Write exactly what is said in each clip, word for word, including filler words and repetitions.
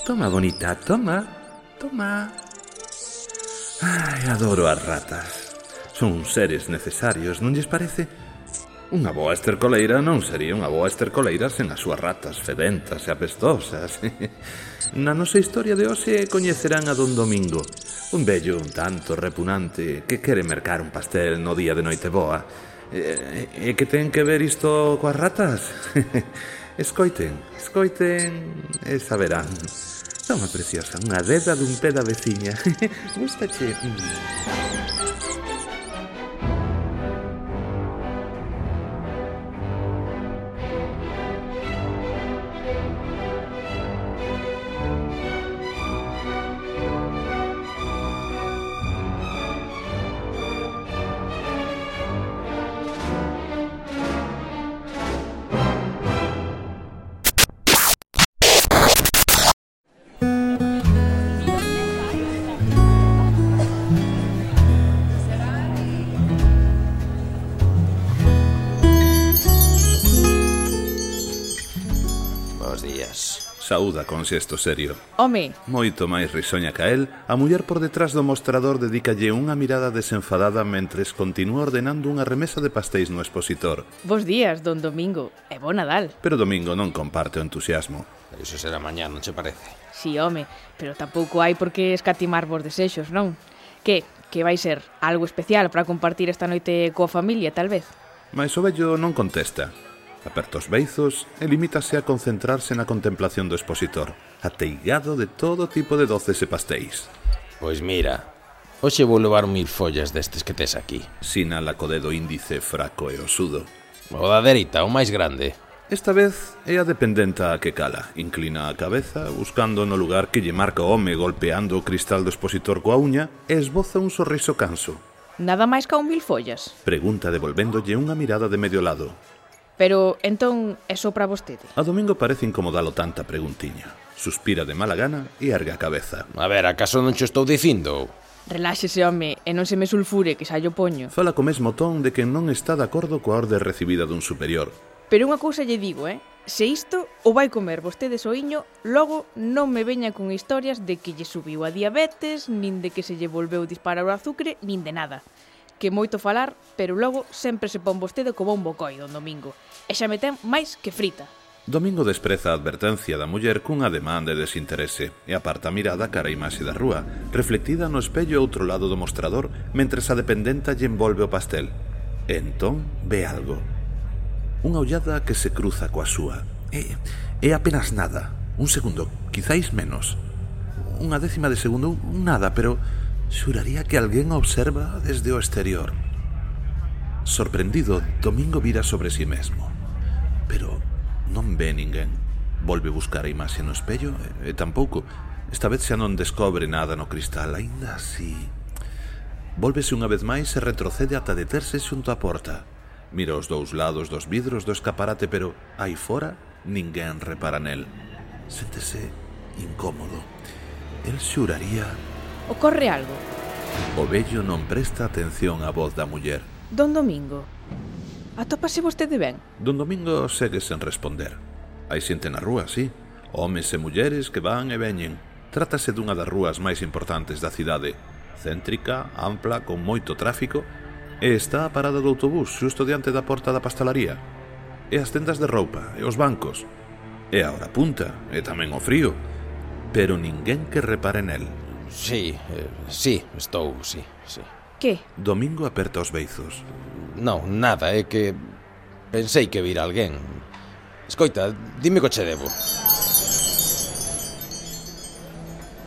Toma, bonita, toma, toma. Ai, adoro as ratas. Son seres necesarios, non lles parece? Unha boa estercoleira non sería unha boa estercoleira sen as súas ratas fedentas e apestosas. Na nosa historia de hoxe coñecerán a don Domingo, un vello un tanto repugnante que quere mercar un pastel no día de Noiteboa. E, e que ten que ver isto coas ratas? Escoiten, escoiten e saberán. Toma, preciosa, unha deda dun pé da veciña. Gústache? Saúda con xesto serio. Home! Moito máis risoña ca el, a muller por detrás do mostrador dedícalle unha mirada desenfadada mentres continúa ordenando unha remesa de pastéis no expositor. Bos días, don Domingo, e bo Nadal. Pero Domingo non comparte o entusiasmo. Iso será mañá, non che parece? Si, home, pero tampouco hai por que escatimar vos desexos, non? Que, que vai ser algo especial para compartir esta noite coa familia, tal vez? Mais o vello non contesta. Aperta os beizos e limítase a concentrarse na contemplación do expositor, ateigado de todo tipo de doces e pastéis. Pois mira, hoxe vou levar mil follas destes que tes aquí. Sinala co dedo índice fraco e osudo. O da dereita, o máis grande. Esta vez é a dependenta a que cala. Inclina a cabeza, buscando no lugar que lle marca o home golpeando o cristal do expositor coa uña e esboza un sorriso canso. Nada máis ca un mil follas? Pregunta devolvéndolle unha mirada de medio lado. Pero, entón, é só para vostede? A Domingo parece incomodalo tanta preguntiña. Suspira de mala gana e ergue a cabeza. A ver, acaso non cho estou dicindo? Reláxese, home, e non se me sulfure, que xa llo poño. Fala co mesmo ton de que non está de acordo coa orde recibida dun superior. Pero unha cousa lle digo, eh? Se isto o vai comer vostede soiño, logo non me veña con historias de que lle subiu a diabetes, nin de que se lle volveu disparar o azucre, nin de nada. Que moito falar, pero logo sempre se pon vostede como un bocoi, don Domingo. E xa me ten máis que frita. Domingo despreza a advertencia da muller cun ademán de desinterese e aparta a mirada cara a imaxe da rúa, reflectida no espello outro lado do mostrador, mentres a dependenta lle envolve o pastel. E entón ve algo. Unha ollada que se cruza coa súa. É, é apenas nada. Un segundo, quizáis menos. Unha décima de segundo, un nada, pero xuraría que alguén observa desde o exterior. Sorprendido, Domingo vira sobre si mesmo. Pero non ve ninguén. Volve buscar a imaxe no espello e, e tampouco. Esta vez xa non descobre nada no cristal, aínda así. Vólvese unha vez máis e retrocede ata deterse xunto á porta. Mira os dous lados dos vidros do escaparate, pero aí fora ninguén repara nel. Séntese incómodo. El xuraría... Ocorre algo? O vello non presta atención á voz da muller. Don Domingo, atópase vostede ben? Don Domingo segue sen responder. Hai xente na rúa, sí. Homes e mulleres que van e veñen. Trátase dunha das rúas máis importantes da cidade. Céntrica, ampla, con moito tráfico, e está a parada do autobús xusto diante da porta da pastelaría. E as tendas de roupa, e os bancos. E a hora punta, e tamén o frío. Pero ninguén que repare nel. Sí, eh, sí, estou, sí, sí. Que? Domingo aperta os beizos. Non, nada, é que pensei que vira alguén. Escoita, dime que che debo.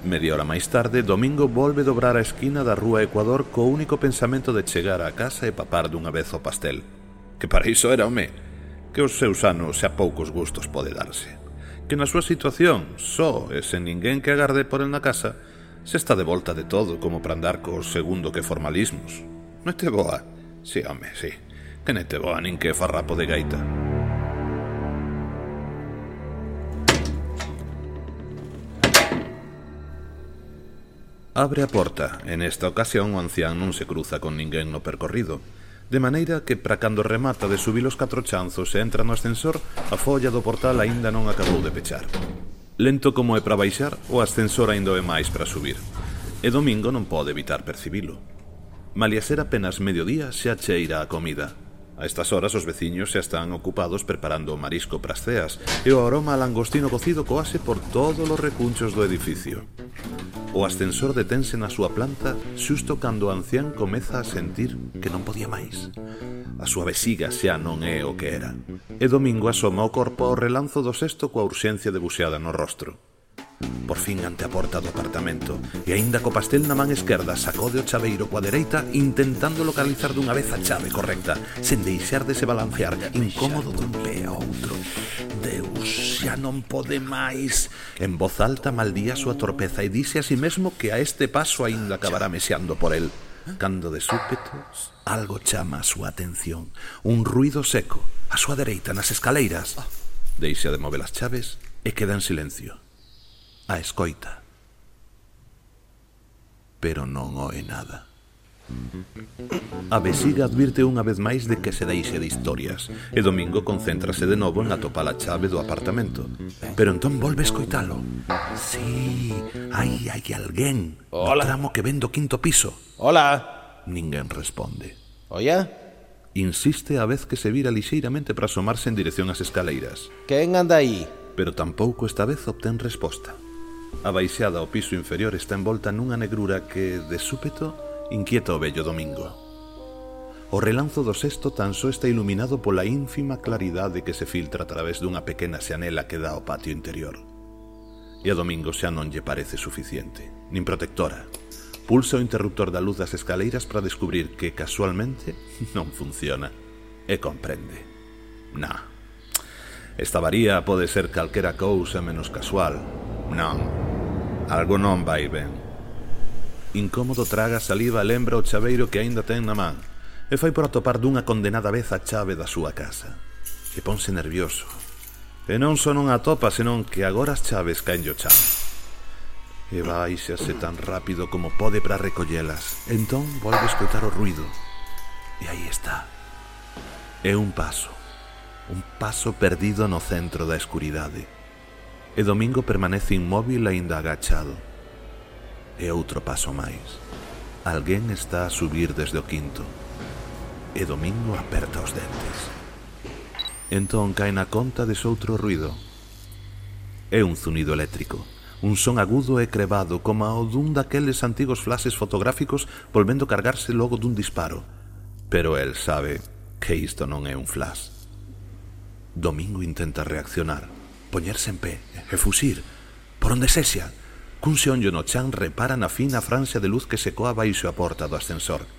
Media hora máis tarde, Domingo volve dobrar a esquina da rúa Ecuador co único pensamento de chegar á casa e papar dunha vez o pastel. Que para iso era, home, que os seus anos e a poucos gustos pode darse. Que na súa situación, só e sen ninguén que agarde por el na casa, se está de volta de todo como para andar cos segundo que formalismos. Noite boa? Si, home, si. Que noite boa, nin que farrapo de gaita. Abre a porta. En esta ocasión o ancián non se cruza con ninguén no percorrido, de maneira que para cando remata de subir os catro chanzos e entra no ascensor, a folla do portal aínda non acabou de pechar. Lento como é para baixar, o ascensor aínda é máis para subir. E Domingo non pode evitar percibilo. Malia ser apenas mediodía, xa cheira a comida. A estas horas os veciños xa están ocupados preparando o marisco pras ceas e o aroma a langostino cocido coase por todos os recunchos do edificio. O ascensor detense na súa planta xusto cando o ancián comeza a sentir que non podía máis. A súa vesiga xa non é o que era. E Domingo asoma o corpo ao relanzo do cesto coa urxencia debuxeada no rostro. Por fin ante a porta do apartamento e aínda co pastel na man esquerda sacode o chaveiro coa dereita intentando localizar dunha vez a chave correcta sen deixar de se balancear incómodo dun pé a outro. Deus, xa non pode máis. En voz alta maldía a súa torpeza e dice a si mesmo que a este paso aínda acabará mexeando por el. Cando de súpeto algo chama a súa atención, un ruido seco a súa dereita nas escaleiras. Deixa de mover as chaves e queda en silencio. A escoita, pero non oe nada. A vesiga advirte unha vez máis de que se deixe de historias e Domingo concéntrase de novo en atopar a chave do apartamento. Pero entón volve a escoitalo. Sí, hai, hai alguén no tramo que ven do quinto piso. Hola. Ninguén responde. Oia? Insiste a vez que se vira lixeiramente para asomarse en dirección ás escaleiras. Quen anda aí? Pero tampouco esta vez obtén resposta. A baixada ao piso inferior está envolta nunha negrura que, de súpeto, inquieta o vello Domingo. O relanzo do cesto tan só está iluminado pola ínfima claridade que se filtra a través dunha pequena xanela que dá ao patio interior. E a Domingo xa non lle parece suficiente, nin protectora. Pulsa o interruptor da luz das escaleiras para descubrir que, casualmente, non funciona. E comprende. Nah. Esta varía pode ser calquera cousa menos casual. Non, algo non vai ben. Incómodo traga saliva e lembra o chaveiro que aínda ten na man e fai por atopar dunha condenada vez a chave da súa casa. E ponse nervioso. E non só non atopa, senón que agora as chaves caen o chan. E baixase tan rápido como pode para recollelas. Entón volve a escoitar o ruido. E aí está. É un paso. Un paso perdido no centro da escuridade. E Domingo permanece inmóvil aínda agachado. E outro paso máis. Alguén está a subir desde o quinto. E Domingo aperta os dentes. Entón cae na conta de soutro ruido. É un zunido eléctrico. Un son agudo e crevado como o dun daqueles antigos flashes fotográficos volvendo cargarse logo dun disparo. Pero el sabe que isto non é un flash. Domingo intenta reaccionar, poñerse en pé e fuxir, por onde sexa. Cun xeonllo no chan repara na fina franxa de luz que se coa baixo a porta do ascensor.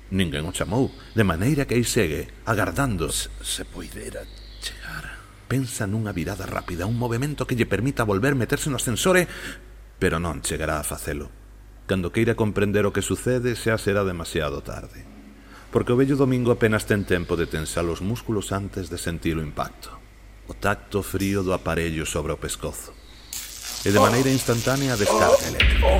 Ninguén o chamou, de maneira que aí segue, agardando. Se, se poidera chegar. Pensa nunha virada rápida, un movimento que lle permita volver meterse no ascensor e... pero non chegará a facelo. Cando queira comprender o que sucede, xa será demasiado tarde. Porque o vello Domingo apenas ten tempo de tensar os músculos antes de sentir o impacto. O tacto frío do aparello sobre o pescozo. E de maneira instantánea a descarga eléctrica.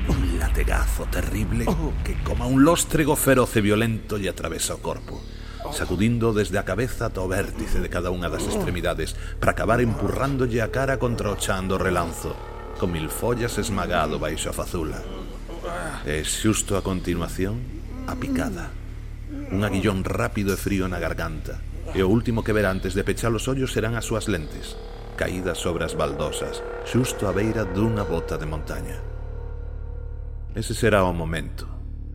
Un lategazo terrible que, como un lóstrego feroz e violento, lle atravesa o corpo, sacudindo desde a cabeza ata o vértice de cada unha das extremidades para acabar empurrándolle a cara contra o chan do relanzo, con mil follas esmagado baixo a fazula. E xusto a continuación, a picada. Un aguillón rápido e frío na garganta, e o último que verá antes de pechar os ollos serán as súas lentes, caídas sobre as baldosas, xusto á beira dunha bota de montaña. Ese será o momento,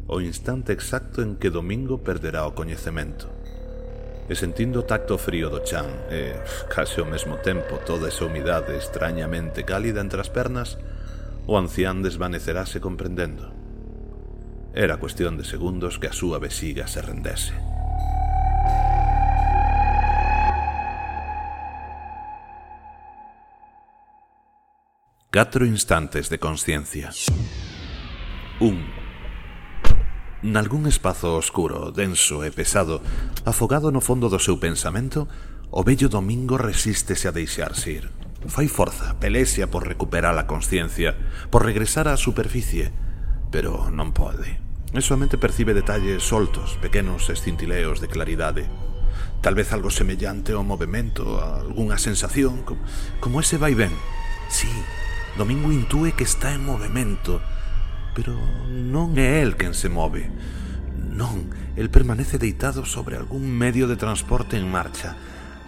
o instante exacto en que Domingo perderá o coñecemento. E sentindo o tacto frío do chan e, case ao mesmo tempo, toda esa humidade extrañamente cálida entre as pernas, o ancián desvanecerase comprendendo. Era cuestión de segundos que a súa vesiga se rendese. Catro instantes de consciencia. Un. Nalgún espazo oscuro, denso e pesado, afogado no fondo do seu pensamento, o vello Domingo resístese a deixarse ir. Fai forza, pelexia por recuperar a consciencia, por regresar á superficie, pero non pode. E somente percibe detalles soltos, pequenos escintileos de claridade. Tal vez algo semellante ao movimento, a algunha sensación, como ese vai ben. Sí, Domingo intúe que está en movimento, pero non é el quen se move. Non, el permanece deitado sobre algún medio de transporte en marcha,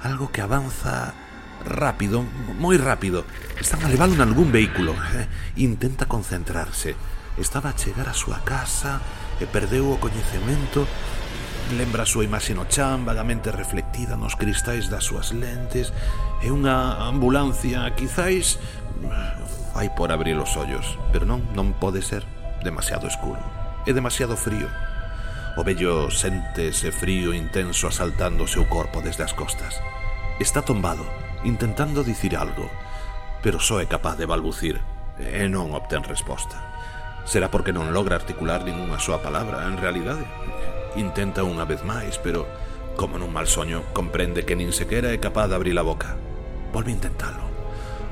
algo que avanza rápido, moi rápido. Están a leválo en algún vehículo. Intenta concentrarse. Estaba a chegar a súa casa e perdeu o coñecemento. Lembra a súa imaxe no chan, vagamente reflectida nos cristais das súas lentes, e unha ambulancia, quizáis, fai por abrir os ollos, pero non, non pode ser. Demasiado escuro, é demasiado frío. O vello sente ese frío intenso asaltando o seu corpo desde as costas. Está tombado, intentando dicir algo, pero só é capaz de balbucir, e non obtén resposta. Será porque non logra articular ningunha súa palabra, en realidade. Intenta unha vez máis, pero, como nun mal soño, comprende que nin sequera é capaz de abrir a boca. Volve a intentalo.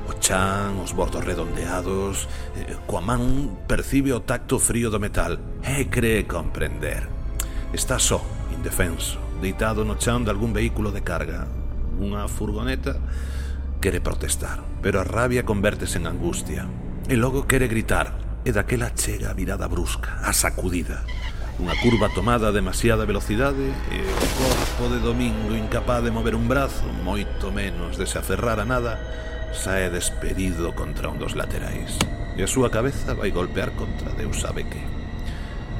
O chan, os bordos redondeados, eh, coa man percibe o tacto frío do metal e cree comprender. Está só, indefenso, deitado no chan de algún vehículo de carga. Unha furgoneta. Quere protestar, pero a rabia convértese en angustia. E logo quere gritar, e daquela chega a virada brusca, a sacudida. Unha curva tomada a demasiada velocidade e o corpo de Domingo, incapaz de mover un brazo, moito menos de se aferrar a nada, sae despedido contra un dos laterais. E a súa cabeza vai golpear contra Deus sabe que.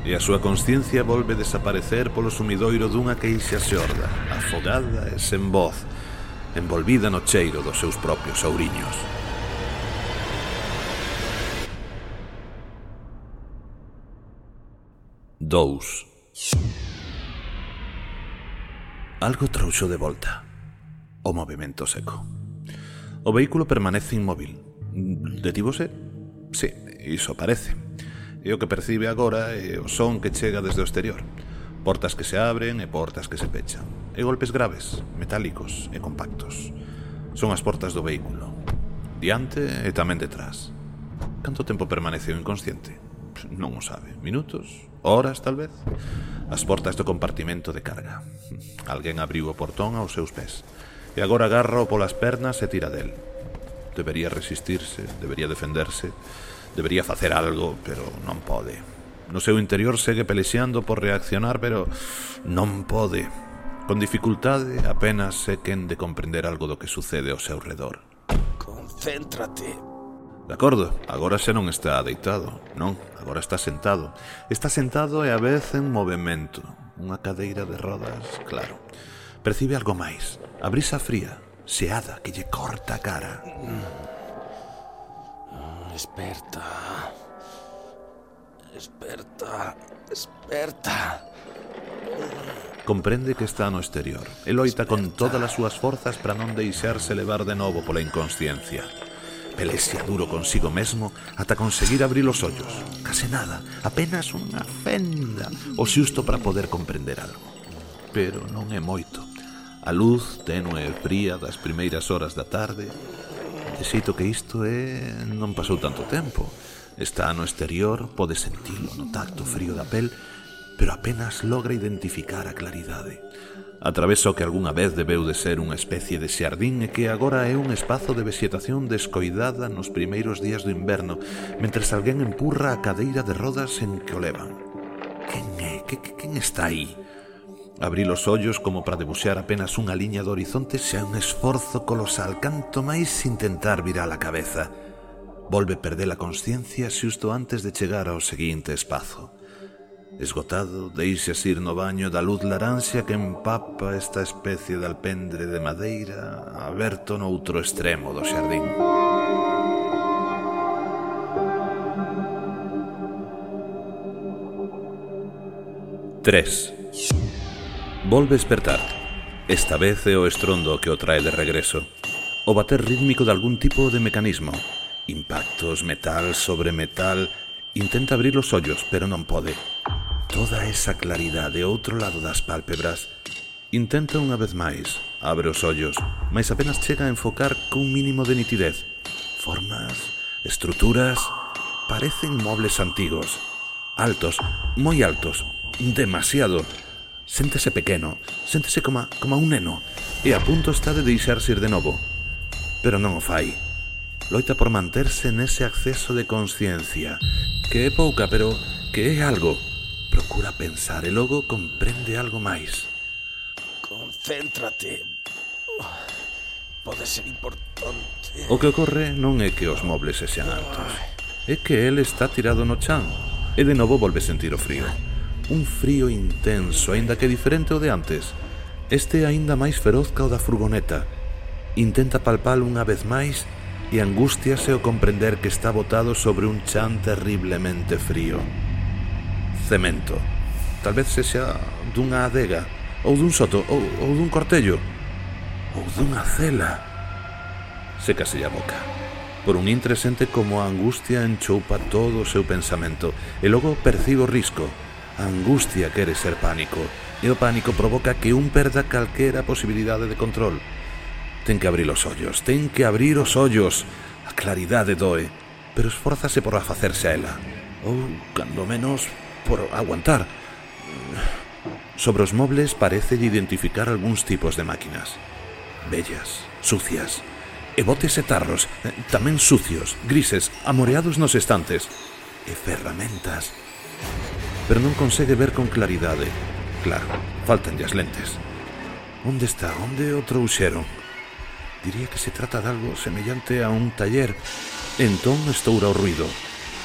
E a súa consciencia volve desaparecer polo sumidoiro dunha queixa xorda, afogada e sen voz, envolvida no cheiro dos seus propios ouriños. Dous. Algo trouxo de volta. O movimento seco. O vehículo permanece inmóvil. Detívose? Sí, iso parece. E o que percibe agora é o son que chega desde o exterior. Portas que se abren e portas que se pechan. E golpes graves, metálicos e compactos. Son as portas do vehículo. Diante e tamén detrás. Canto tempo permaneceu inconsciente? Non o sabe. Minutos? Horas, tal vez? As portas do compartimento de carga. Alguén abriu o portón aos seus pés e agora agarra polas pernas e tira del. Debería resistirse, debería defenderse, debería facer algo, pero non pode. No seu interior segue pelexeando por reaccionar, pero non pode. Con dificultade apenas é quen de comprender algo do que sucede ao seu redor. Concéntrate. De acordo, agora xa non está deitado, non, agora está sentado. Está sentado e a vez en movimento. Unha cadeira de rodas, claro. Percibe algo máis, a brisa fría, xeada, que lle corta a cara. Esperta. Esperta. Esperta. Comprende que está no exterior e loita con todas as súas forzas para non deixarse levar de novo pola inconsciencia. Pelexia duro consigo mesmo ata conseguir abrir os ollos. Case nada, apenas unha fenda, o xusto para poder comprender algo. Pero non é moito. A luz tenue e fría das primeiras horas da tarde, de xeito que isto é... non pasou tanto tempo. Está no exterior, pode sentilo no tacto frío da pel, pero apenas logra identificar a claridade. Atraveso que algunha vez debeu de ser unha especie de xardín e que agora é un espazo de vexetación descoidada nos primeiros días do inverno, mentres alguén empurra a cadeira de rodas en que o levan. Quen é? Que, que, quen está aí? Abrir os ollos como para debuxar apenas unha liña do horizonte xa é un esforzo colosal, canto máis intentar virar a cabeza. Volve perder a consciencia xusto antes de chegar ao seguinte espazo. Esgotado, deixas ir no baño da luz laranxa que empapa esta especie de alpendre de madeira aberto no outro extremo do xardín. Tres. Volve despertar. Esta vez é o estrondo que o trae de regreso. O bater rítmico de algún tipo de mecanismo. Impactos, metal sobre metal. Intenta abrir os ollos, pero non pode. Toda esa claridade ao outro lado das pálpebras. Intenta unha vez máis. Abre os ollos, mas apenas chega a enfocar cun mínimo de nitidez. Formas, estruturas, parecen mobles antigos. Altos, moi altos, demasiado. Séntese pequeno, séntese como, como un neno, e a punto está de deixarse ir de novo. Pero non o fai. loita por manterse nese acceso de consciencia, que é pouca, pero que é algo. Procura pensar e logo comprende algo máis. Concéntrate. Pode ser importante. O que ocorre non é que os mobles sexan altos, é que el está tirado no chan e de novo volve sentir o frío. Un frío intenso, aínda que diferente ao de antes. Este é aínda máis feroz que o da furgoneta. Intenta palpalo unha vez máis e angústiase ao comprender que está botado sobre un chan terriblemente frío. Cemento. Tal vez sexa dunha adega, ou dun soto, ou, ou dun cortello, ou dunha cela. Sécase a boca. Por un intre sente como a angustia enchoupa todo o seu pensamento e logo percibe o risco. A angustia quere ser pánico e o pánico provoca que un perda calquera posibilidade de control. Ten que abrir os ollos, ten que abrir os ollos. A claridade doe, pero esfórzase por afacerse a ela, ou, cando menos, por aguantar. Sobre os mobles parece identificar algúns tipos de máquinas. Bellas, sucias, e botes e tarros, tamén sucios, grises, amoreados nos estantes, e ferramentas. Pero non consegue ver con claridade. Claro, faltanlle as lentes. Onde está? Onde o trouxeron? Diría que se trata de algo semellante a un taller. Entón estoura o ruido.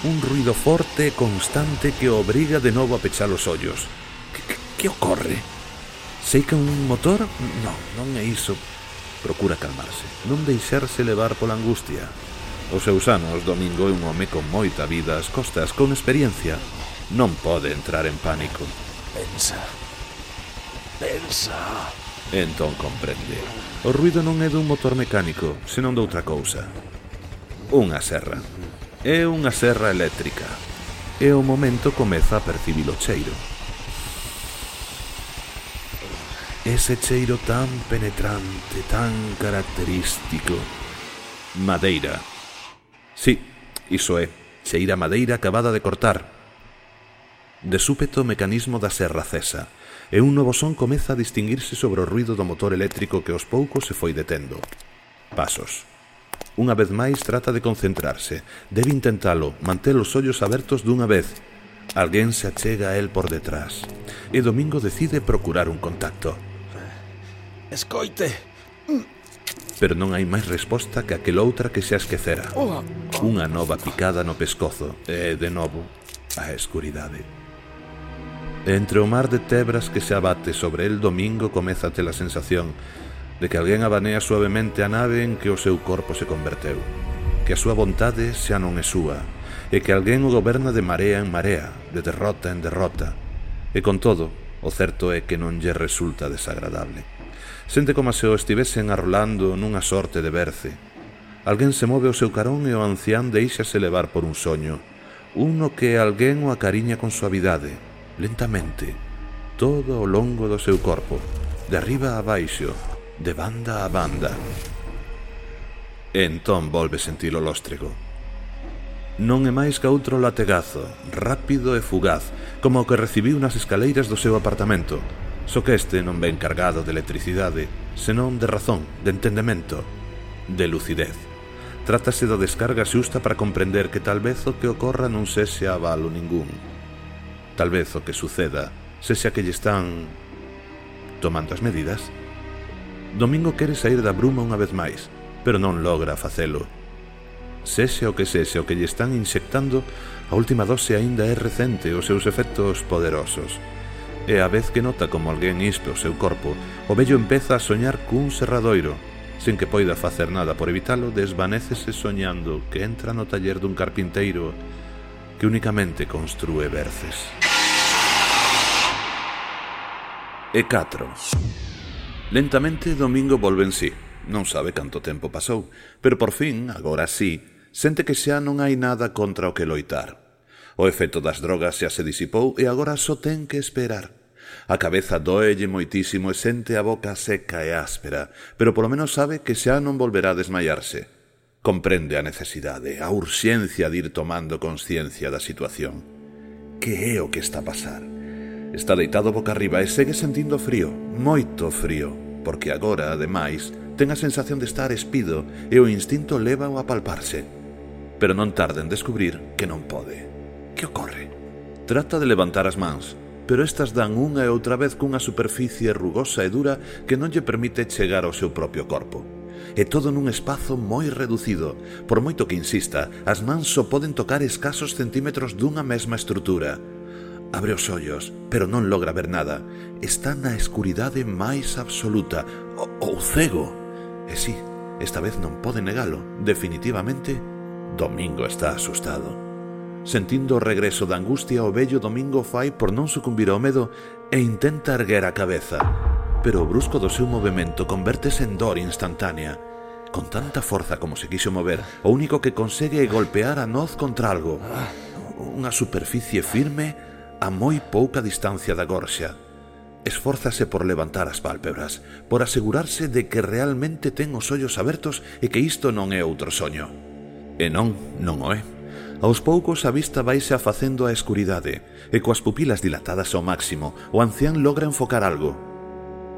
Un ruido forte e constante que o obriga de novo a pechar os ollos. Que, que, que ocorre? Seica un motor? Non, non é iso. Procura calmarse, non deixarse levar pola angustia. Os seus anos, Domingo é un home con moita vida ás costas, con experiencia. Non pode entrar en pánico. Pensa. Pensa. Entón comprende. O ruido non é dun motor mecánico, senón doutra cousa. Unha serra. É unha serra eléctrica. E o momento comeza a percibir o cheiro. Ese cheiro tan penetrante, tan característico. Madeira. Sí, iso é. Cheira madeira acabada de cortar. De súpeto o mecanismo da serra cesa, e un novo son comeza a distinguirse sobre o ruido do motor eléctrico que aos poucos se foi detendo. Pasos. Unha vez máis trata de concentrarse. Debe intentalo, manter os ollos abertos dunha vez. Alguén se achega a él por detrás, e Domingo decide procurar un contacto. Escoite. Pero non hai máis resposta que aquel outra que xa esquecera. Unha nova picada no pescozo, e, de novo, a escuridade. Entre o mar de tebras que se abate sobre el, Domingo comeza a ter a sensación de que alguén abanea suavemente a nave en que o seu corpo se converteu, que a súa vontade xa non é súa, e que alguén o goberna de marea en marea, de derrota en derrota. E con todo, o certo é que non lle resulta desagradable. Sente como se o estivesen arrolando nunha sorte de berce. Alguén se move ao seu carón e o ancián deixase levar por un soño, un no que alguén o acariña con suavidade, lentamente, todo ao longo do seu corpo, de arriba a baixo, de banda a banda. E entón volve sentir o lóstrego. Non é máis que outro lategazo, rápido e fugaz, como o que recibiu nas escaleiras do seu apartamento, só que este non ven cargado de electricidade, senón de razón, de entendemento, de lucidez. Trátase da descarga xusta para comprender que tal vez o que ocorra non sexa avalo ningún. Tal vez o que suceda sexa que lle están tomando as medidas. Domingo quere sair da bruma unha vez máis, pero non logra facelo. Sexa o que sexa o que lle están inxectando, a última dose aínda é recente, os seus efectos poderosos. E a vez que nota como alguén ispe o seu corpo, o vello empeza a soñar cun serradoiro. Sen que poida facer nada por evitalo, desvanécese soñando que entra no taller dun carpinteiro que únicamente construe berces. E catro. Lentamente Domingo volve en sí. Non sabe canto tempo pasou, pero por fin, agora sí, sente que xa non hai nada contra o que loitar. O efecto das drogas xa se disipou e agora só ten que esperar. A cabeza doelle moitísimo e sente a boca seca e áspera, pero polo menos sabe que xa non volverá a desmaiarse. Comprende a necesidade, a urxencia de ir tomando consciencia da situación. Que é o que está a pasar? Está deitado boca arriba e segue sentindo frío, moito frío. porque agora, ademais, ten a sensación de estar espido e o instinto lévao a palparse. Pero non tarda en descubrir que non pode. Que ocorre? Trata de levantar as mans, pero estas dan unha e outra vez cunha superficie rugosa e dura que non lle permite chegar ao seu propio corpo. E todo nun espazo moi reducido. Por moito que insista, as mans só poden tocar escasos centímetros dunha mesma estrutura. Abre os ollos, pero non logra ver nada. Está na escuridade máis absoluta, ou, ou cego. E sí, esta vez non pode negalo. Definitivamente, Domingo está asustado. Sentindo o regreso da angustia, o vello Domingo fai por non sucumbir ao medo e intenta erguer a cabeza. Pero o brusco do seu movimento convértese en dor instantánea. Con tanta forza como se quixo mover, o único que consegue é golpear a noz contra algo. Unha superficie firme a moi pouca distancia da gorxa. Esfórzase por levantar as pálpebras, por asegurarse de que realmente ten os ollos abertos e que isto non é outro soño. E non, non o é. Aos poucos a vista vaise afacendo a escuridade, e coas pupilas dilatadas ao máximo, o ancián logra enfocar algo.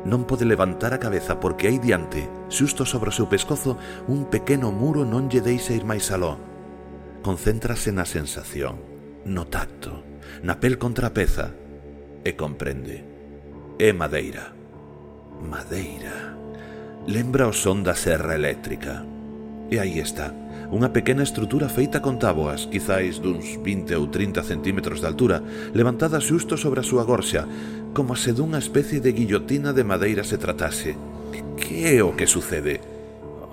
Non pode levantar a cabeza porque hai diante, xusto sobre o seu pescozo, un pequeno muro non lle deixa ir máis aló. Concéntrase na sensación, no tacto, na pel contra a peza, e comprende. É madeira. Madeira. Lembra o son da serra eléctrica. E aí está, unha pequena estrutura feita con táboas, quizáis duns vinte ou trinta centímetros de altura, levantada xusto sobre a súa gorxa, como se dunha especie de guillotina de madeira se tratase. Que é o que sucede?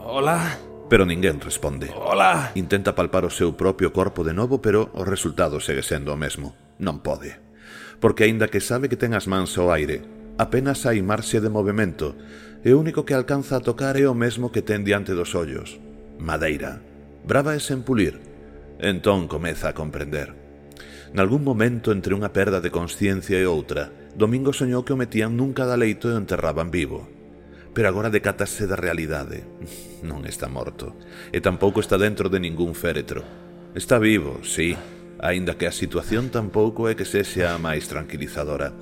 Hola? Pero ninguén responde. Hola? Intenta palpar o seu propio corpo de novo, pero o resultado segue sendo o mesmo. Non pode. Porque aínda que sabe que ten as mans ao aire, apenas hai marxe de movimento, e o único que alcanza a tocar é o mesmo que ten diante dos ollos. Madeira. Brava e sen pulir. Entón comeza a comprender. Nalgún momento entre unha perda de consciencia e outra, Domingo soñou que o metían nun cadaleito e o enterraban vivo. Pero agora decátase da realidade. Non está morto. E tampouco está dentro de ningún féretro. Está vivo, sí, aínda que a situación tampouco é que sexa a máis tranquilizadora.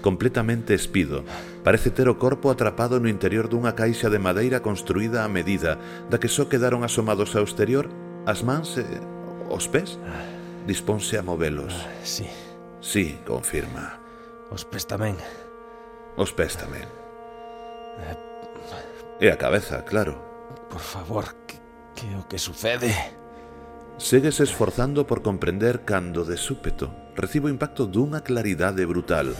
Completamente espido, parece ter o corpo atrapado no interior dunha caixa de madeira construída a medida, da que só quedaron asomados ao exterior as mans e os pés. Disponse a movelos. Sí. Sí, confirma. Os pés tamén. Os pés tamén. E a cabeza, claro. Por favor, que, que o que sucede? Séguese esforzando por comprender cando, de súpeto, recibo o impacto dunha claridade brutal.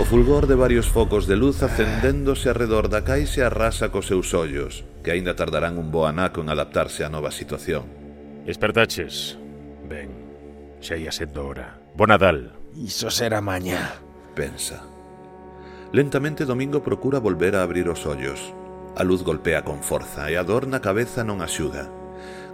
O fulgor de varios focos de luz acendéndose arredor da caixa arrasa cos seus ollos, que aínda tardarán un bo anaco en adaptarse á nova situación. Espertaches? Ben, xa ia sendo hora. Bo Nadal. Iso será mañá. Pensa. Lentamente Domingo procura volver a abrir os ollos. A luz golpea con forza e a dor na cabeza non axuda.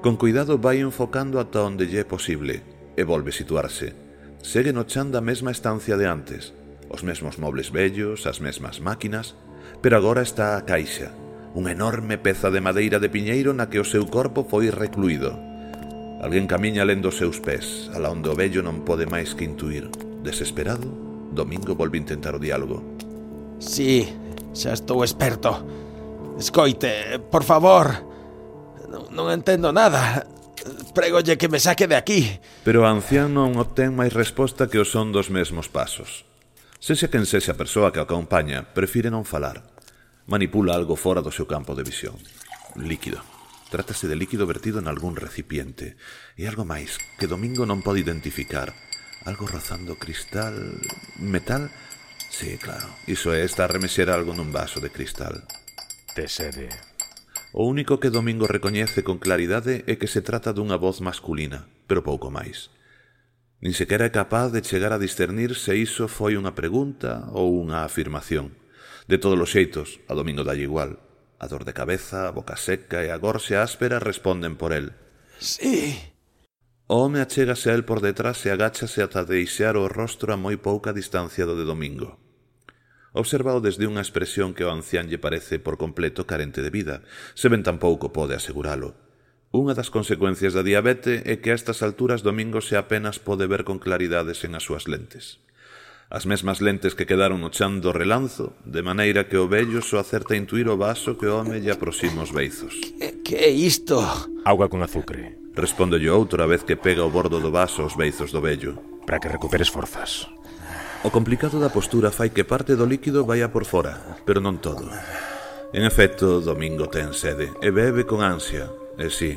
Con cuidado vai enfocando ata onde lle é posible e volve situarse. Segue no chan da mesma estancia de antes, os mesmos mobles vellos, as mesmas máquinas, pero agora está a caixa, unha enorme peza de madeira de piñeiro na que o seu corpo foi recluído. Alguén camiña lendo os seus pés, alá onde o vello non pode máis que intuir. Desesperado, Domingo volve intentar o diálogo. Sí, xa estou experto. Escoite, por favor. Non, non entendo nada. Prégolle que me saque de aquí. Pero o ancián non obtén máis resposta que o son dos mesmos pasos. Sexa quen sexa a persoa que o acompaña, prefire non falar. Manipula algo fora do seu campo de visión. Líquido. Trátase de líquido vertido en algún recipiente. E algo máis que Domingo non pode identificar. Algo rozando cristal... metal? Sí, claro. Iso é, está a remexer algo nun vaso de cristal. Te sede. O único que Domingo recoñece con claridade é que se trata dunha voz masculina, pero pouco máis. Nin sequera é capaz de chegar a discernir se iso foi unha pregunta ou unha afirmación. De todos os xeitos, a Domingo dalle igual. A dor de cabeza, a boca seca e a gorxa áspera responden por el. Sí. O home achégase a el por detrás e agáchase ata deixar o rostro a moi pouca distancia do de Domingo. Observao desde unha expresión que ao ancián lle parece por completo carente de vida, se ben tampouco pode aseguralo. Unha das consecuencias da diabete é que a estas alturas Domingo se apenas pode ver con claridade sen as súas lentes. as mesmas lentes que quedaron no chan do relanzo, de maneira que o vello só acerta a intuir o vaso que o home lle aproxima os beizos. Que, que é isto? Auga con azucre, Responde o outro a vez que pega o bordo do vaso aos beizos do vello. para que recuperes forzas. O complicado da postura fai que parte do líquido vaia por fora, pero non todo. En efecto, Domingo ten sede e bebe con ansia. E sí,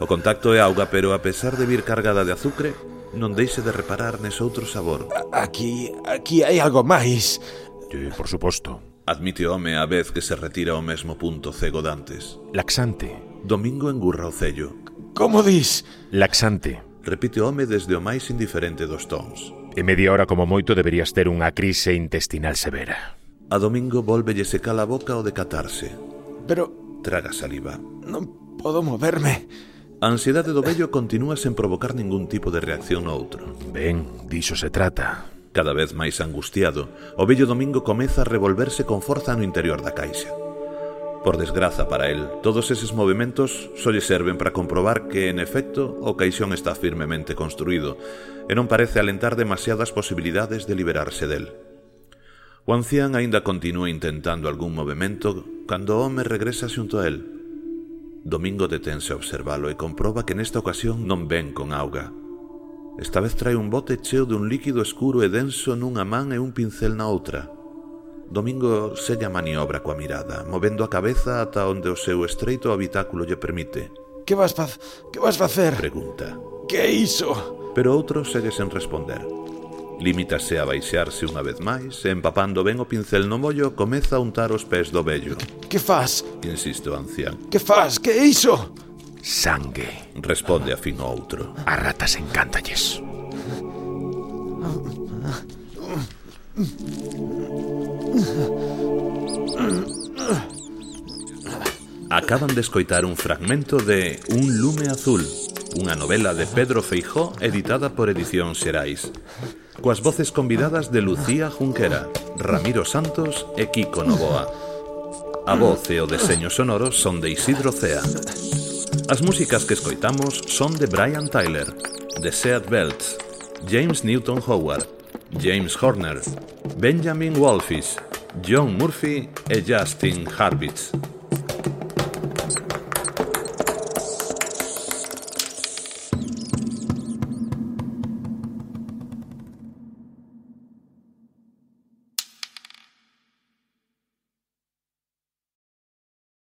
o contacto é auga, pero a pesar de vir cargada de azucre, non deixe de reparar nese outro sabor. Aquí, aquí hai algo máis. Sí, por suposto. Admite o home a vez que se retira ao mesmo punto cego dantes. Laxante. Domingo engurra o cello. Como dis? Laxante. Repite o home desde o máis indiferente dos tons. En media hora como moito deberías ter unha crise intestinal severa. A Domingo volvelle secar a boca ao decatarse. Pero Traga saliva. non podo moverme. A ansiedade do vello continúa sen provocar ningún tipo de reacción no outro. Ben, diso se trata. Cada vez máis angustiado, o vello Domingo comeza a revolverse con forza no interior da caixa. Por desgraza para el, todos eses movimentos só lle serven para comprobar que, en efecto, o caixón está firmemente construído e non parece alentar demasiadas posibilidades de liberarse del. O ancián aínda continúa intentando algún movimento cando o home regresa xunto a el. Domingo detense a observalo e comproba que nesta ocasión non ven con auga. Esta vez trae un bote cheo dun líquido escuro e denso nunha man e un pincel na outra. Domingo sella maniobra coa mirada, movendo a cabeza ata onde o seu estreito habitáculo lle permite. Que vas faz... que vas facer? Pregunta. Que é iso? Pero outro segue sen responder. Limítase a baixarse unha vez máis e, empapando ben o pincel no mollo, comeza a untar os pés do vello. Que faz? Insiste o ancián. Que faz? Que é iso? Sangue. Responde a fin o outro. A ratas encántalles. Acaban de escoitar un fragmento de Un lume azul, unha novela de Pedro Feijó editada por Edición Xerais, coas voces convidadas de Lucía Junquera, Ramiro Santos e Kiko Novoa. A voz e o deseño sonoro son de Isidro Cea. As músicas que escoitamos son de Brian Tyler, de Seat Belts, James Newton Howard, James Horner, Benjamin Wallfish, John Murphy e Justin Hurwitz.